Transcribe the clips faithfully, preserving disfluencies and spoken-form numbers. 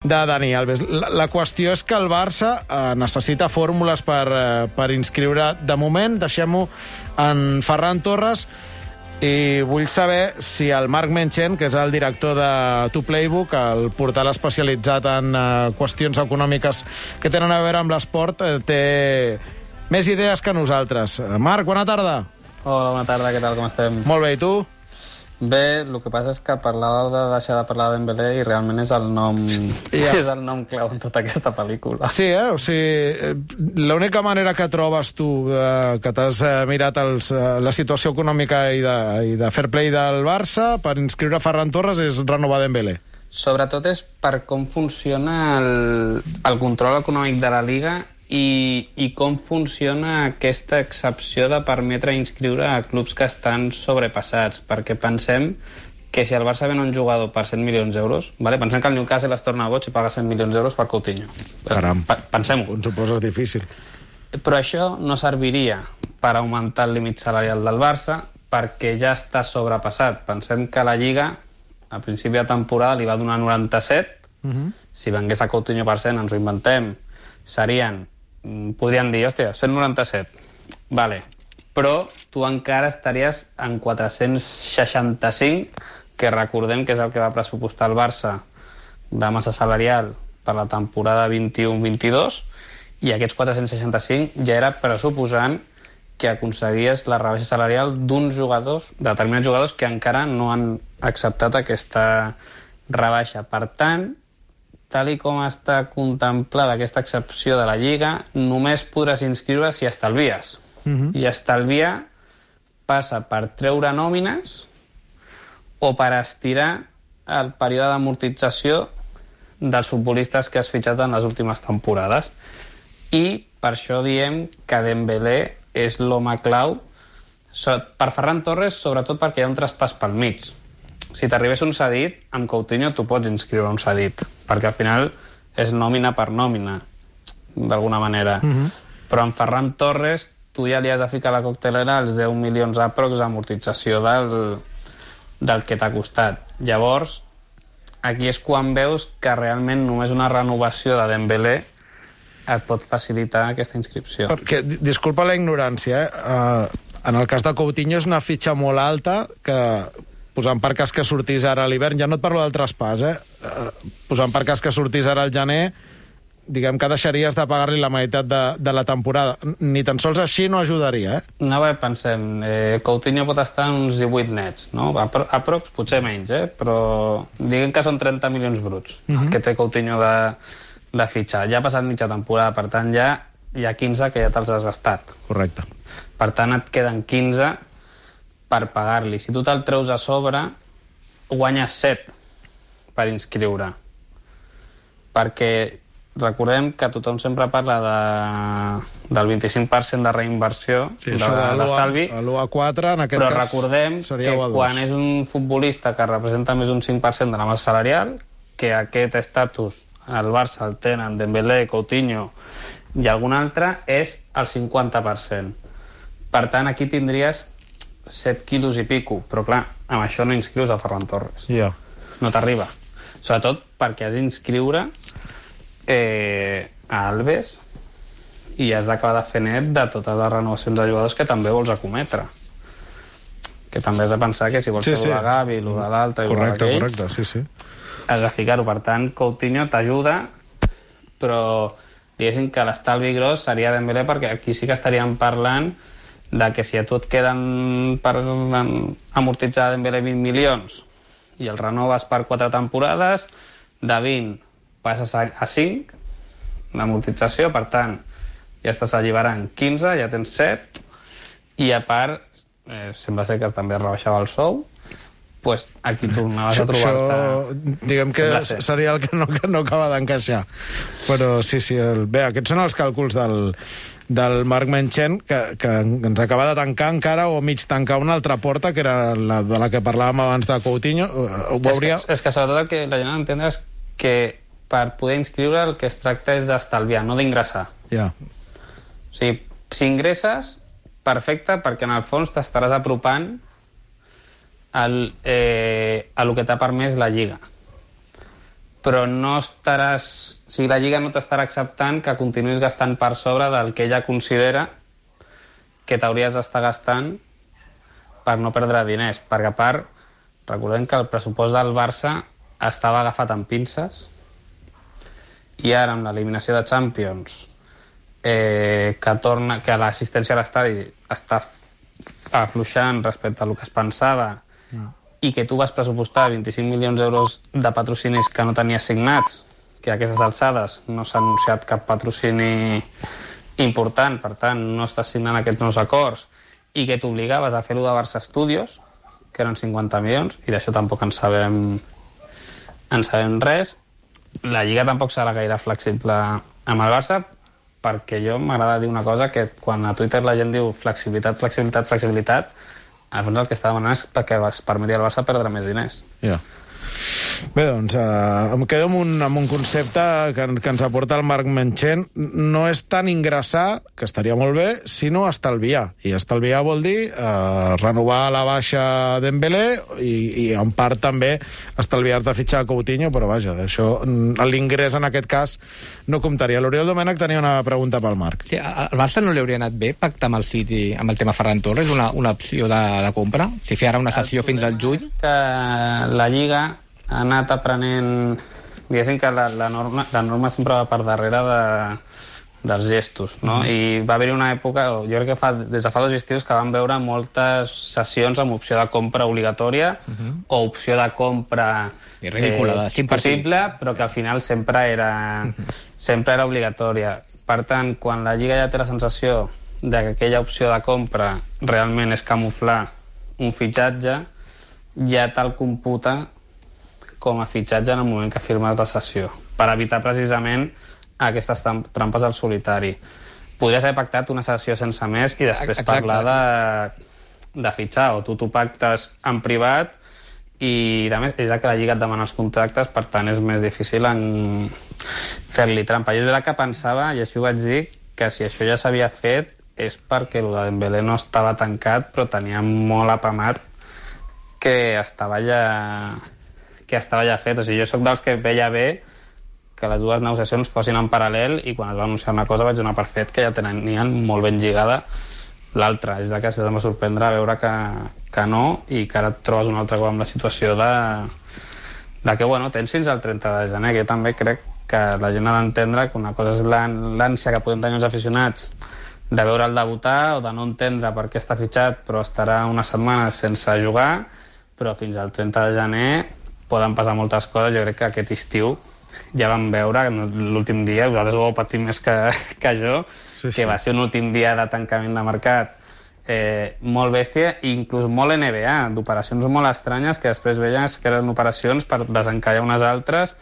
de Dani Alves. La, la qüestió és que el Barça eh, necessita fórmules per, eh, per inscriure. De moment, deixem-ho en Ferran Torres, i vull saber si el Marc Menchen, que és el director de To Playbook, el portal especialitzat en eh, qüestions econòmiques que tenen a veure amb l'esport, eh, té més idees que nosaltres. Marc, bona tarda. Hola, bona tarda, què tal, com estem? Molt bé, i tu? Bé, el que passa és que parlàveu de deixar de parlar de Dembélé i realment és el nom yeah. és el nom clau en tota aquesta pel·lícula. Sí, eh? O sigui, l'única manera que trobes tu, eh, que t'has eh, mirat els, eh, la situació econòmica i de, i de fair play del Barça per inscriure Ferran Torres és renovar Dembélé. Sobretot és per com funciona el, el control econòmic de la Liga i, i com funciona aquesta excepció de permetre inscriure a clubs que estan sobrepassats, perquè pensem que si el Barça ven un jugador per cent milions d'euros, vale? Pensem que el Newcastle es torna boig i paga cent milions d'euros per Coutinho. Caram, pensem-ho. Ens ho poses difícil. Però això no serviria per augmentar el límit salarial del Barça perquè ja està sobrepassat. Pensem que la Lliga a principi de temporada li va donar noranta-set. Uh-huh. Si vengués a Coutinho per cent, ens ho inventem, serien, podrien dir, hòstia, cent noranta-set. Vale. Però tu encara estaries en quatre-cents seixanta-cinc, que recordem que és el que va pressupostar el Barça de massa salarial per la temporada vint-i-u vint-i-dos, i aquests quatre-cents seixanta-cinc ja era pressuposant que aconseguies la rebaixa salarial d'uns jugadors, de determinats jugadors que encara no han acceptat aquesta rebaixa. Per tant, tal i com està contemplada aquesta excepció de la Lliga, només podràs inscriure si estalvies. Uh-huh. I estalviar passa per treure nòmines o per estirar el període d'amortització dels futbolistes que has fitxat en les últimes temporades. I per això diem que Dembélé és l'home clau per Ferran Torres, sobretot perquè hi ha un traspàs pel mig. Si t'arribés un cedit, amb Coutinho tu pots inscriure un cedit, perquè al final és nòmina per nòmina, d'alguna manera. Uh-huh. Però amb Ferran Torres tu ja li has de ficar a la coctelera els deu milions aprox d'amortització del, del que t'ha costat. Llavors, aquí és quan veus que realment només una renovació de Dembélé et pot facilitar aquesta inscripció. Perquè, disculpa la ignorància, eh? Uh, en el cas de Coutinho és una fitxa molt alta que, posant per cas que sortís ara a l'hivern, ja no et parlo del traspàs, eh? Uh, posant per cas que sortís ara al gener, diguem que deixaries de pagar-li la meitat de, de la temporada. Ni tan sols així no ajudaria, eh? No, bé, pensem, eh, Coutinho pot estar en uns divuit nets, no? Aprox, potser menys, eh? Però diguem que són trenta milions bruts, uh-huh. el que té Coutinho de de fitxar. Ja ha passat mitja temporada, per tant ja hi ha quinze que ja te'ls has gastat. Correcte. Per tant et queden quinze per pagar-li. Si tu te'l treus a sobre, guanyes set per inscriure. Perquè recordem que tothom sempre parla de, del vint-i-cinc per cent de reinversió, sí, de l'estalvi, a l'u a quatre, en aquest però cas recordem que quan és un futbolista que representa més d'un cinc per cent de la massa salarial, que aquest estatus el Barça el tenen Dembélé, Coutinho i algun altre, és el cinquanta per cent. Per tant, aquí tindries set quilos i pico, però clar, amb això no inscrius a Ferran Torres. Yeah. No t'arriba. Sobretot perquè has d'inscriure eh, a Alves i has d'acabar de fer net de totes les renovacions de jugadors que també vols acometre. Que també has de pensar que si vols sí, fer sí. de Gavi, lo de l'altre i correcte, lo correcte, sí, sí. has de ficar-ho. Per tant, Coutinho t'ajuda, però diguéssim que l'estalvi gros seria Dembélé, perquè aquí sí que estaríem parlant de que si a tu et queden per amortitzar Dembélé vint milions i el renoves per quatre temporades, de vint passes a cinc d'amortització, per tant ja estàs alliberant quinze, ja tens set, i a part eh, sembla ser que també rebaixava el sou, pues aquí tornaves a trobar-te... Això, diguem que seria el que no, que no acaba d'encaixar. Però sí, sí, el... bé, aquests són els càlculs del, del Marc Menchen, que, que ens acaba de tancar encara, o mig tancar una altra porta, que era la de la que parlàvem abans de Coutinho. Ho veuria... és, que, és que sobretot el que la gent ha d'entendre és que per poder inscriure el que es tracta és d'estalviar, no d'ingressar. Ja. O sigui, si ingresses, perfecte, perquè en el fons t'estaràs apropant al, eh, a lo que t'ha permès la Lliga. però no estaràs... O sigui, la Lliga no t'estarà acceptant que continuïs gastant per sobre del que ella considera que t'hauries d'estar gastant per no perdre diners, perquè a part, recordem que el pressupost del Barça estava agafat amb pinces i ara amb l'eliminació de Champions eh, que, torna, que l'assistència a l'estadi està afluixant respecte a el que es pensava mm. i que tu vas pressupostar vint-i-cinc milions d'euros de patrocinis que no tenies signats, que a aquestes alçades no s'ha anunciat cap patrocini important, per tant no estàs signant aquests nous acords, i que t'obligaves a fer-ho de Barça Studios, que eren cinquanta milions, i d'això tampoc en sabem, en sabem res. La Lliga tampoc serà gaire flexible amb el Barça, perquè jo m'agrada dir una cosa, que quan a Twitter la gent diu flexibilitat, flexibilitat, flexibilitat, al fons el que està demanant és perquè es permeti al Barça perdre més diners. Ja. Yeah. Bé, doncs, eh, em quedo amb un, amb un concepte que, que ens aporta el Marc Menchen. No és tant ingressar, que estaria molt bé, sinó estalviar. I estalviar vol dir eh, renovar la baixa Dembélé i, i en part també estalviar-te a fitxar Coutinho, però vaja, això, l'ingrés en aquest cas no comptaria. L'Oriol Domènech tenia una pregunta pel Marc. Sí, al Barça no li hauria anat bé pactar amb el City amb el tema Ferran Torres, una, una opció de, de compra? Si fer ara una sessió fins al juny? Que la Lliga ha anat aprenent... Diguéssim que la, la, norma, la norma sempre va per darrere de, dels gestos, no? Mm. I va haver-hi una època, jo crec que fa, des de fa dos estius, que vam veure moltes sessions amb opció de compra obligatòria mm -hmm. o opció de compra I ridícula, eh, possible, però que al final sempre era, mm -hmm. sempre era obligatòria. Per tant, quan la Lliga ja té la sensació de que aquella opció de compra realment és camuflar un fitxatge, ja te'l computa com a fitxatge en el moment que firmes la sessió, per evitar precisament aquestes trampes al solitari. Podries haver pactat una sessió sense més i després Exacte. parlar de, de fitxar, o tu t'ho pactes en privat i a més és que la Lliga et demana els contractes, per tant és més difícil en fer-li trampa. Jo és veritat que pensava, i així ho vaig dir, que si això ja s'havia fet és perquè el de Dembélé no estava tancat, però tenia molt apamat que estava ja... que estava ja fet. O sigui, jo sóc dels que veia bé que les dues negociacions fossin en paral·lel i quan es va anunciar una cosa vaig donar per fet que ja tenien molt ben lligada l'altra. És que això em va sorprendre veure que, que no i que ara et trobes un altre cop amb la situació de, de que, bueno, tens fins al trenta de gener, que jo també crec que la gent ha d'entendre que una cosa és l'ànsia que podem tenir els aficionats de veure'l debutar o de no entendre per què està fitxat però estarà unes setmanes sense jugar, però fins al trenta de gener poden passar moltes coses. Jo crec que aquest estiu ja vam veure l'últim dia, vosaltres ho heu patit més que, que jo, sí, sí. que va ser un últim dia de tancament de mercat eh, molt bèstia, i inclús molt N B A, d'operacions molt estranyes que després veies que eren operacions per desencallar unes altres,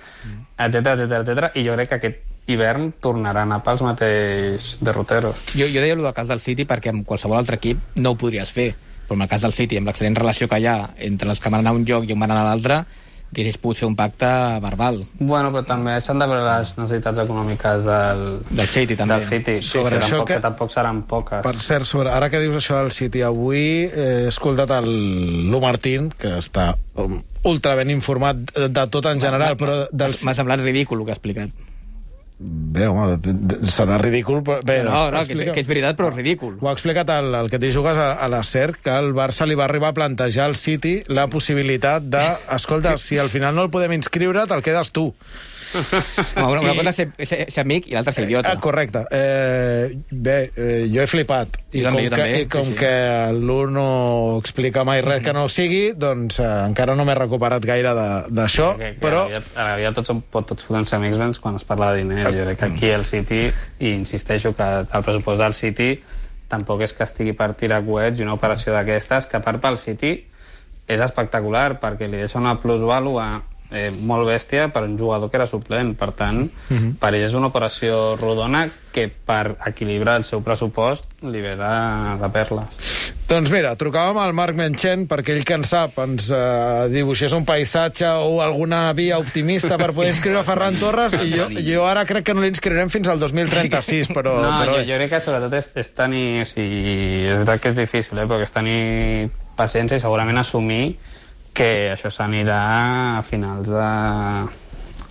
etcètera, etcètera, etcètera. I jo crec que aquest hivern tornarà a anar pels mateixos derroteros. Jo, jo deia el del cas del City perquè amb qualsevol altre equip no ho podries fer, però en el cas del City, amb l'excel·lent relació que hi ha entre els que van anar a un lloc i on van anar a l'altre, hauries pogut fer un pacte verbal. Bueno, però també s'han de veure les necessitats econòmiques del, del City, també. Del City, sí, sobre que, això tampoc, que... que tampoc seran poques. Per cert, sobre, ara que dius això del City, avui he escoltat el Lu Martín, que està ultra ben informat de tot en general, però... Del... M'ha semblat ridícul el que ha explicat. Bé, home, serà ridícul, però... Bé, no, no, que és, que és veritat, però ridícul. Ho ha explicat el, el que t'hi jugues a, a la S E R, que el Barça li va arribar a plantejar al City la possibilitat de... Escolta, si al final no el podem inscriure, te'l quedes tu. No, una, una I... cosa és ser, ser, ser amic i l'altra ser idiota. Eh, correcte. Eh, bé, eh, jo he flipat. I, jo com, també, que, també, i com sí, sí. que l'U no explica mai res que no ho sigui, doncs eh, encara no m'he recuperat gaire d'això, però... A la vida tots, tots podem ser amics doncs, quan es parla de diners. Jo crec que aquí el City, i insisteixo que el pressupost del City tampoc és que estigui per tirar coets, i una operació d'aquestes, que a part pel City és espectacular, perquè li deixa una plusvàlua eh, molt bèstia per un jugador que era suplent. Per tant, uh-huh. per ell és una operació rodona que per equilibrar el seu pressupost li ve de, de perles. Doncs mira, trucàvem al Marc Menchen perquè ell, que en sap, ens eh, dibuixés un paisatge o alguna via optimista per poder inscriure Ferran Torres, i jo, jo ara crec que no l'inscriurem fins al dos mil trenta-sis, però... No, però... Jo, jo crec que sobretot és, és tenir... O sigui, és veritat que és difícil, eh, però és tenir paciència i segurament assumir que això s'anirà a finals de...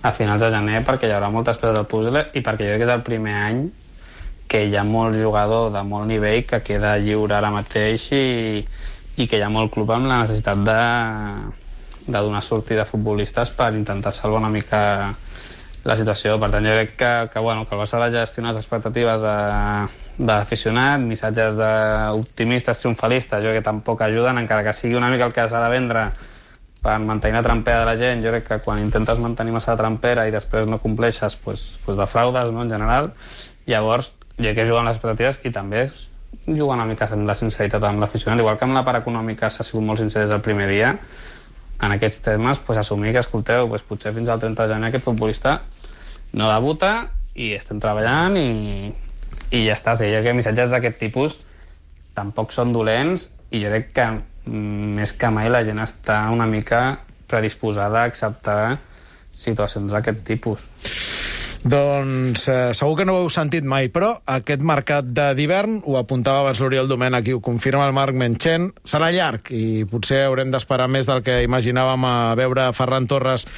a finals de gener, perquè hi haurà moltes peces del puzzle i perquè jo crec que és el primer any que hi ha molt jugador de molt nivell que queda lliure ara mateix i, i que hi ha molt club amb la necessitat de, de donar sortida a futbolistes per intentar salvar una mica la situació. Per tant, jo crec que, que, bueno, que el Barça ha de gestionar les expectatives de, de l'aficionat, missatges optimistes, triomfalistes, jo crec que tampoc ajuden, encara que sigui una mica el que s'ha de vendre per mantenir la trampera de la gent. Jo crec que quan intentes mantenir massa la trampera i després no compleixes, pues, pues defraudes, no?, en general. Llavors, jo crec que juguen les expectatives i també juguen una mica amb la sinceritat amb l'aficionat. Igual que amb la part econòmica s'ha sigut molt sincer des del primer dia, en aquests temes, pues, assumir que, escolteu, pues, potser fins al trenta de gener aquest futbolista no debuta i estem treballant i, i ja està. O sigui, jo crec que missatges d'aquest tipus tampoc són dolents i jo crec que més que mai la gent està una mica predisposada a acceptar situacions d'aquest tipus. Doncs eh, segur que no ho heu sentit mai, però aquest mercat d'hivern, ho apuntava abans l'Oriol Domènech i ho confirma el Marc Menchen, serà llarg i potser haurem d'esperar més del que imaginàvem a veure Ferran Torres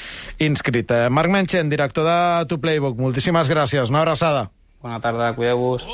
inscrit. Eh, Marc Menchen, director de To Playbook, moltíssimes gràcies, una abraçada. Bona tarda, cuideu-vos.